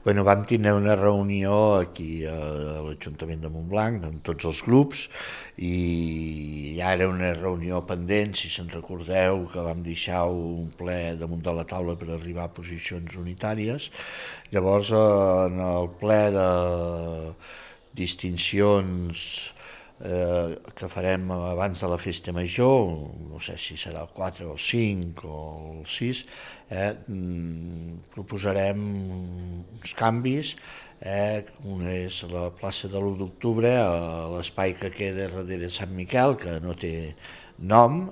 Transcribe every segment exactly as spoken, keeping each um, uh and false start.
Bueno, vam tindre una reunió aquí a l'Ajuntament de Montblanc amb tots els grups i ja era una reunió pendent, si se'n recordeu, que vam deixar un ple damunt de la taula per arribar a posicions unitàries. Llavors, en el ple de distincions eh, que farem abans de la festa major, no sé si serà el quatre o el cinc o el sis, eh, proposarem uns canvis. Eh, un és la plaça de l'u d'octubre, l'espai que queda darrere Sant Miquel, que no té nom,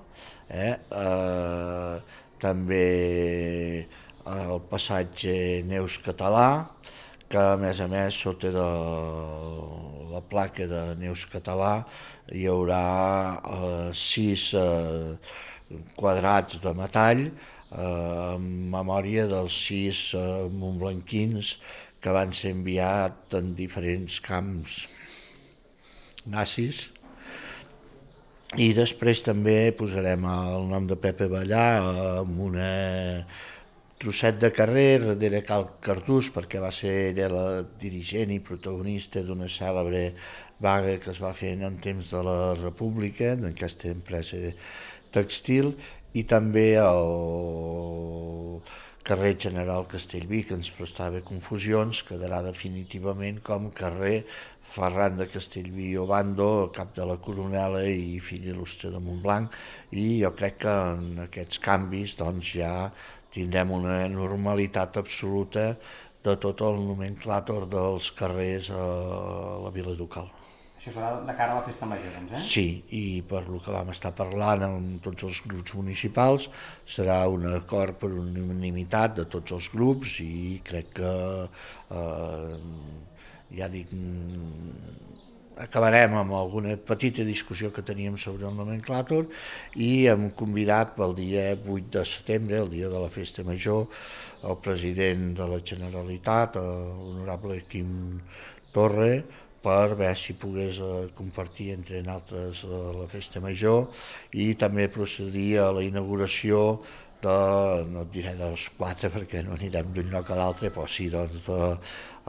eh, eh, també el passatge Neus Català, que a més a més sota de la placa de Neus Català hi haurà eh, sis eh, quadrats de metall eh, en memòria dels sis eh, montblanquins que van ser enviats en diferents camps nazis. I després també posarem el nom de Pepe Ballà amb una trosset de carrer darrere Cal Cardús, perquè va ser ella la dirigent i protagonista d'una cèlebre vaga que es va fer en temps de la República, d'aquesta empresa textil, i també el carrer General Castellví, que ens prestava confusions, quedarà definitivament com carrer Ferran de Castellví i Obando, cap de la Coronela i fill il·lustre de Montblanc, i jo crec que en aquests canvis doncs, ja tindrem una normalitat absoluta de tot el nomenclàtor dels carrers a la Vila Ducal. Això serà de cara a la festa major, doncs, eh? Sí, i per lo que vam estar parlant amb tots els grups municipals, serà un acord per unanimitat de tots els grups i crec que, eh, ja dic, acabarem amb alguna petita discussió que teníem sobre el nomenclàtor i hem convidat pel dia vuit de setembre, el dia de la festa major, el president de la Generalitat, l'honorable Quim Torra, per veure si pogués compartir entre nosaltres la festa major i també procedir a la inauguració de, no et diré dels quatre perquè no anirem d'un lloc a l'altre, però sí doncs de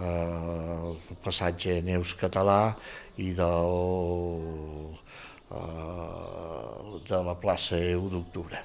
eh, passatge Neus Català i del, eh, de la plaça u d'octubre.